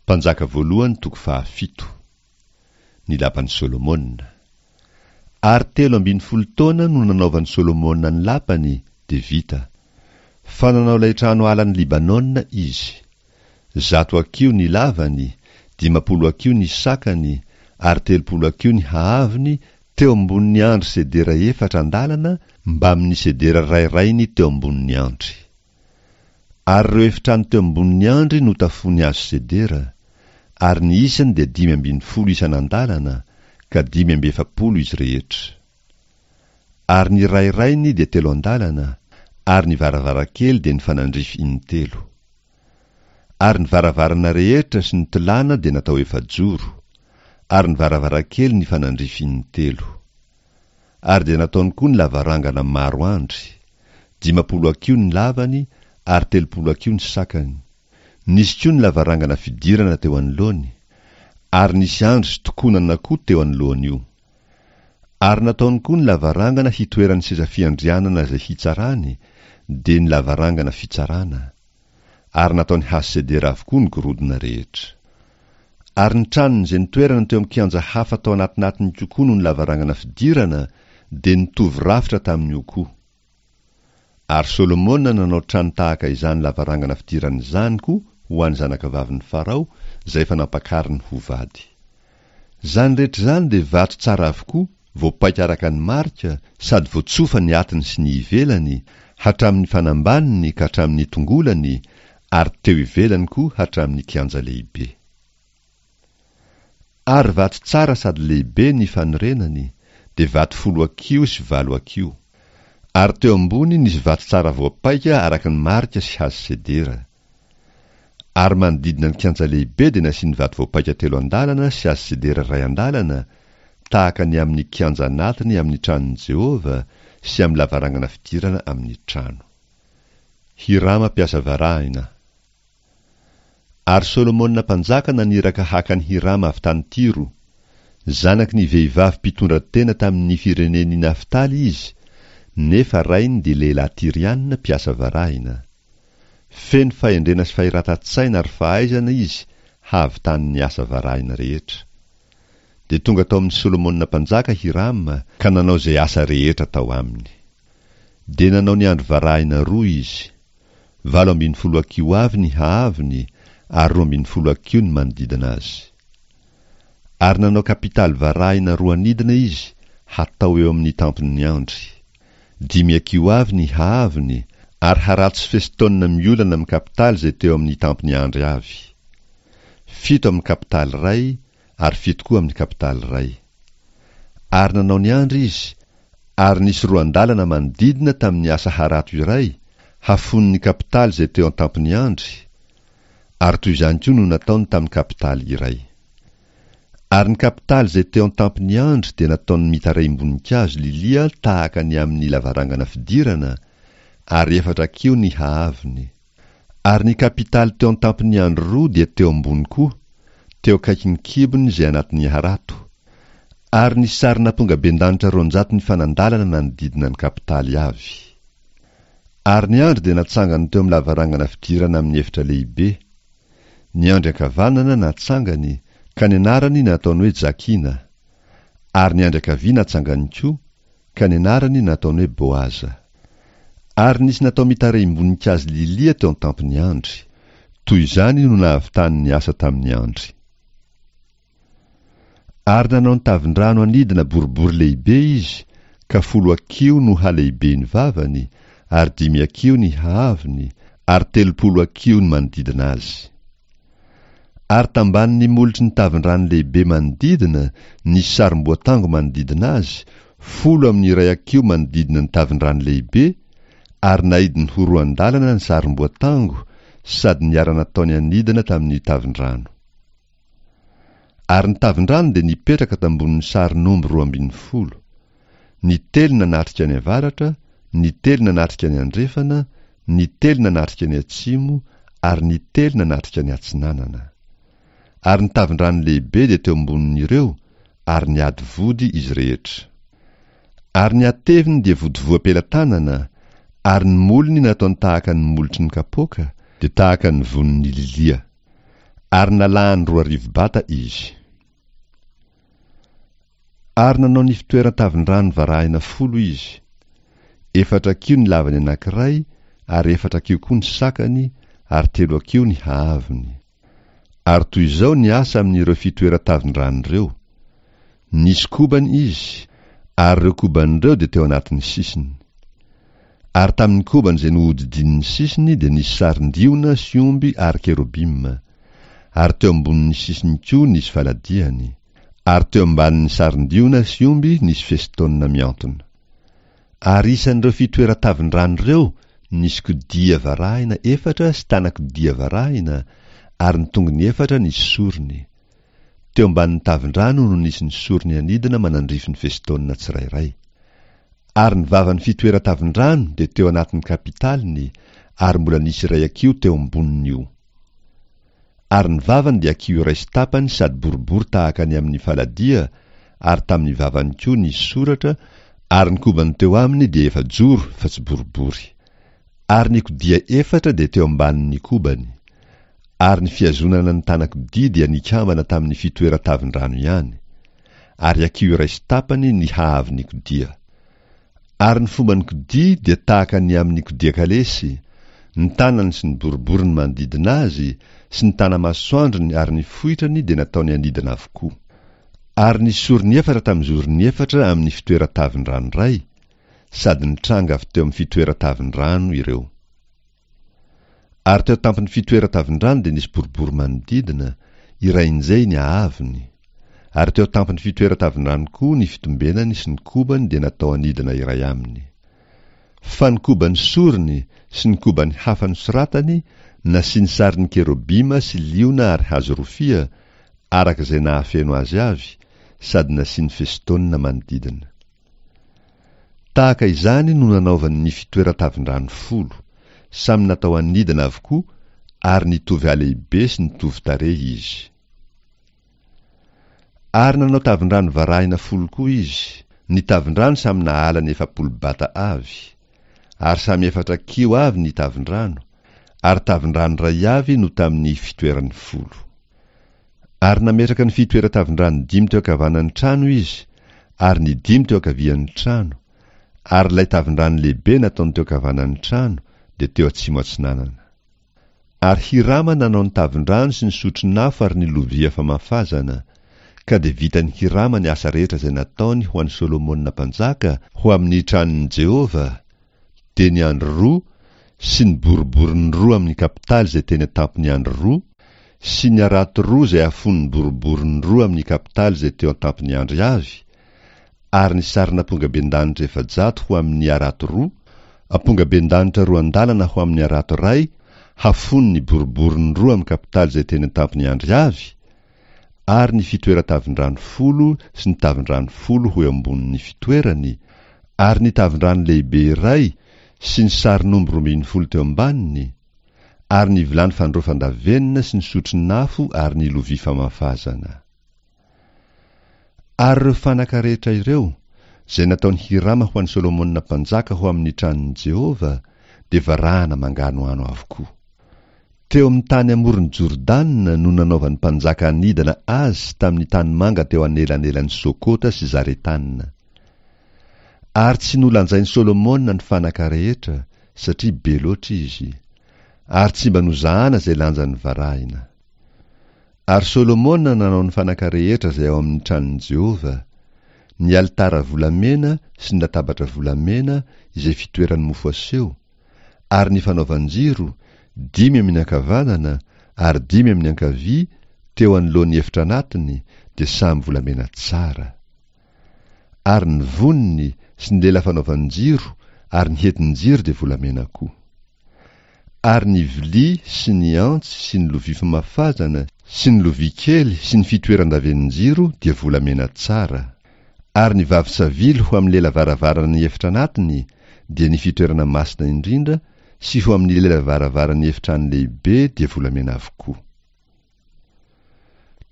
Mpanjaka voalohany toko fahafito. Ny lapan'i Solomona. Ary 13 taona no nanaovan'i Solomona ny lapany, dia vita. Fa nanao ilay trano alan'i Libanona izy. 100 hakiho ny lavany, 50 hakiho ny sakany, ary 30 hakiho ny haavony, teo ambonin'ny andry sedera efatra andalana mbamin'ny sedera rairainy teo ambonin'ny andry. Ary ireo efitrano teo ambonin'ny andry notafoany hazo sedera, ary ny isany dia 15 isan'andalana, ka 45 izy rehetra. Ary ny rairainy dia telo andalana, ary ny varavarankely dia nifanandrify intelo. Ary ny varavarana rehetra sy ny tolàna dia natao efajoro, ary ny varavarankely nifanandrify intelo. Ary dia nataony koa ny lavarangana maro andry, 50 hakiho ny lavany ary 30 hakiho ny sakany. Nisy koa ny lavarangana fidirana teo anoloany, ary nisy andry sy tokonana koa teo anoloan'io. Ary nataony koa ny lavarangana hitoeran'ny seza fiandrianana izay hitsarany, dia ny lavarangana fitsarana. Ary nataony hazo sedera avokoa ny gorodona rehetra. Ary ny tranony izay nitoerana teo amin'ny kianja hafa tao anatinatiny kokoa noho ny lavarangana fidirana dia nitovy rafitra tamin'io koa. Ary Solomona nanao trano tahaka izany lavarangana fidirana izany koa ho an'ny zanakavavin'i Farao izay efa nampakariny ho vady. Izany rehetra izany dia vato tsara avokoa, voapaika araka ny marika, sady voatsofa ny atiny sy ny ivelany, hatramin'ny fanambaniny ka hatramin'ny tongolany, ary teo ivelany koa hatramin'ny kianja lehibe. Ary vato tsara sady lehibe ny fanorenany, dia vato folo hakiho sy valo hakiho. Ary teo ambony nisy vato tsara voapaika araka ny marika sy hazo sedera. Ary manodidina ny kianja lehibe dia nasiany vato voapaika telo andalana sy hazo sedera iray andalana, tahaka ny amin'ny kianja anatiny amin'ny tranon'i Jehovah sy amin'ny lavarangana fidirana amin'ny trano. Hirama mpiasa varahina. Ary Solomona mpanjaka naniraka haka an'i Hirama avy tany Tyro. Zanaky ny vehivavy mpitondra tena tamin' ny firenen' i Naftaly izy, nefa rainy dia lehilahy Tyriana mpiasa varahina. Feno fahendrena sy fahiratan-tsaina ary fahaizana izy hahavitany ny asa varahina rehetra. Dia tonga tao amin' i Solomona mpanjaka Hirama ka nanao izay asa rehetra tao aminy. Dia nanao ny andry varahina roa izy. 18 hakiho avy ny haavony ary 12 hakiho ny manodidina azy. Ary nanao kapitaly varahina roa anidina izy hatao eo amin'ny tampon'ny andry. Dimy hakiho avy ny haavony ary harato sy fesitaonina miolana amin'ny kapitaly izay teo amin'ny tampon'ny andry avy. Fito amin'ny kapitaly iray ary fito koa amin'ny kapitaly iray. Ary nanao ny andry izy, ary nisy roan-dalana manodidina tamin'ny asa harato iray, hafonin'ny kapitaly izay teo an-tampon'ny andry, ary toy izany koa no nataony tamin'ny kapitaly iray. Ary ny kapitaly izay teo an-tampon'ny andry dia nataony mitarehim-boninkazo lilia tahaka ny amin'ny lavarangana fidirana, ary efatra hakiho ny haavony. Ary ny kapitaly teo an-tampon'ny andry roa dia teo ambony koa, teo akaikin'ny kibony izay anatin'ny harato. Ary nisy sarin'ampongabendanitra 200 nifanandalana nanodidina ny kapitaly avy. Ary ny andry dia natsangany teo amin'ny lavarangana fidirana amin'ny efitra lehibe. Ny andry ankavanana natsangany, ka ny anarany nataony hoe Jakina. Ary ny andry ankavia natsangany koa, ka ny anarany nataony hoe Boaza. Ary nisy natao mitarehim-boninkazo lilia teo an-tampon'ny andry. Toy izany no nahavitany ny asa tamin'ny andry. Ary nanao ny tavin-drano anidina boribory lehibe izy, ka folo hakiho no halehiben'ny vavany, ary dimy hakiho ny haavony, ary 30 hakiho ny manodidina azy. Ary tambanin'ny molotry ny tavin-drano lehibe manodidina, nisy sarim-boatango manodidina azy, folo amin'ny iray hakiho manodidina ny tavin-drano lehibe, ary naidiny ho roan-dalana ny sarim-boatango sady niara-nataony anidina tamin'ny tavin-drano. Ary ny tavin-drano dia nipetraka tambonin'ny sarin'omby 12, ny telo nanatrika ny avaratra, ny telo nanatrika ny andrefana, ny telo nanatrika ny atsimo, ary ny telo nanatrika ny atsinanana. Ary ny tavin-drano lehibe dia teo ambonin'ireo, ary niady vody izy rehetra. Ary ny hateviny dia vodivoam-pelatanana, ary ny molony nataony tahaka ny molotry ny kapoaka, dia tahaka ny vonin'ny lilia. Ary nalahany 2000 bata izy. Ary nanao ny fitoeran-tavin-drano varahina folo izy. Efatra hakiho ny lavany anankiray, ary efatra hakiho koa ny sakany, ary telo hakiho ny haavony. Ary toy izao ny asa amin'ireo fitoeran-tavin-drano ireo, Nisy kobany izy, ary ireo kobany ireo dia teo anatin'ny sisiny. Ary tamin'ny kobany izay nohodidinin'ny sisiny dia nisy sarin-diona sy omby ary kerobima. Ary teo ambonin'ny sisiny koa nisy faladiany. Ary teo ambanin'ny sarin-diona sy omby nisy festoona mihantona. Ary isan'ireo fitoeran-tavin-drano ireo nisy kodia varahina efatra sy tanan-kodia varahina, ary ny tongony efatra nisy sorony. Teo ambanin'ny tavin-drano no nisy ny sorony anidina manandrify ny festoona tsirairay. Ary ny vavan'ny fitoeran-tavin-drano dia teo anatin'ny kapitaliny, ary mbola nisy iray hakiho teo ambonin'io. Ary ny vavany dia hakiho iray sy tapany sady boribory tahaka ny amin'ny faladia, ary tamin'ny vavany koa nisy soratra, ary ny kobany teo aminy dia efa-joro fa tsy boribory. Ary ny kodia efatra dia teo ambanin'ny kobany. Ary ny fihazonana ny tanan-kodia dia nikambana tamin'ny fitoeran-tavin-drano ihany. Ary hakiho iray sy tapany ny haavon'ny kodia. Ary ny fomban'ny kodia dia tahaka ny amin'ny kodia kalesy, ny tanany sy ny boriboriny manodidina azy, sy ny tana-masoandrony ary ny foitrany dia nataony anidina avokoa. Ary ny sorony efatra tamin'ny zorony efatra amin'ny fitoeran-tavin-drano iray, sady nitranga avy teo amin'ny fitoeran-tavin-drano ireo. Ary teo an-tampon'ny fitoeran-tavin-drano dia nisy boribory manodidina, irainjehy ny haavony. Ary teo an-tampon'ny fitoeran-tavin-drano koa ny fitombenany sy ny kobany dia natao anidina iray aminy. Fa ny kobany sorony sy ny kobany hafa nosoratany nasiany sarin'ny kerobima sy liona ary hazo rofia, araka izay nahafeno azy avy, sady nasiany festoona manodidina. Tahaka izany no nanaovany ny fitoeran-tavin-drano folo, samy natao anidina avokoa ary nitovy halehibe sy nitovy tarehy izy. Ary nanao tavin-drano varahina folo koa izy, ny tavin-drano samy nahala ny 40 bata avy, ary samy efatra kiho avy ny tavin-drano, ary tavin-drano iray avy no tamin'ny fitoerany folo. Ary nametraka ny fitoeran-tavin-drano dimy teo ankavanan'ny trano izy, ary ny dimy teo ankavian'ny trano, ary ilay tavin-drano lehibe nataony teo ankavanan'ny trano dia teo atsimo atsinanana. Ary Hirama nanao ny tavin-drano sy ny sotron'afo ary ny lovia famafazana, ka dia vitan'i Hirama ny asa rehetra izay nataony ho an'i Solomona mpanjaka ho amin'ny tranon'i Jehovah, dia ny andry roa sy ny boriboriny roa amin'ny kapitaly izay teny an-tampon'ny andry roa, sy ny harato roa izay afon'ny boriboriny roa amin'ny kapitaly izay teo an-tampon'ny andry avy, ary ny sarin'ampongabendanitra 400 ho amin'ny harato roa, ampongabendanitra roa an-dalana ho amin'ny harato iray hafon'ny boriboriny roa amin'ny kapitaly izay teny an-tampon'ny andry avy, ary ny fitoeran-tavin-drano folo sy ny tavin-drano folo ho eo ambonin'ny fitoerany, ary ny tavin-drano lehibe iray sy ny sarin'omby 12 teo ambaniny, ary ny vilany fandraofan-davenona sy ny sotron'afo ary ny lovia famafazana. Ary ireo fanaka rehetra ireo, izay nataon'i Hirama ho an'i Solomona mpanjaka ho amin'ny tranon'i Jehovah, dia varahana manganohano avokoa. Teo amin'ny tany amoron'i Jordana no nanaovan'ny mpanjaka anidana azy tamin'ny tanimanga teo anelanelan'i Sokota sy Zaretana. Ary tsy nolanjain'i Solomona ny fanaka rehetra, satria be loatra izy. Ary tsy mba nozahana izay lanjan'ny varahina. Ary Solomona nanao ny fanaka rehetra izay ao amin'ny tranon'i Jehovah, ny alitara volamena sy ny latabatra volamena izay fitoeran'ny mofo aseho, ary ny fanaovan-jiro, dimy amin'ny ankavanana ary dimy amin'ny ankavia, teo anoloan'ny efitra anatiny, dia samy volamena tsara. Ary ny voniny sy ny lela fanaovan-jiro ary ny hetin-jiro dia volamena koa. Ary ny vilia sy ny antsy sy ny lovia famafazana sy ny lovia kely sy ny fitoeran-davenin-jiro dia volamena tsara. Ary ny vavy-savily ho amin'ny lela varavaran'ny efitra anatiny dia ny fitoerana masina indrindra sy ho amin'ny lela varavaran'ny efitrano lehibe dia volamena avokoa.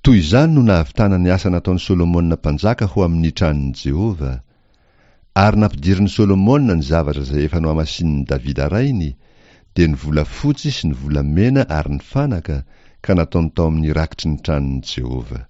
Toy izany no nahavitana ny asa nataon'i Solomona mpanjaka ho amin'ny tranon'i Jehovah. Ary nampidirin'i Solomona ny zavatra izay efa nohamasinin'i Davida rainy, dia ny volafotsy sy ny volamena ary ny fanaka, ka nataony tao amin'ny rakitry ny tranon'i Jehovah.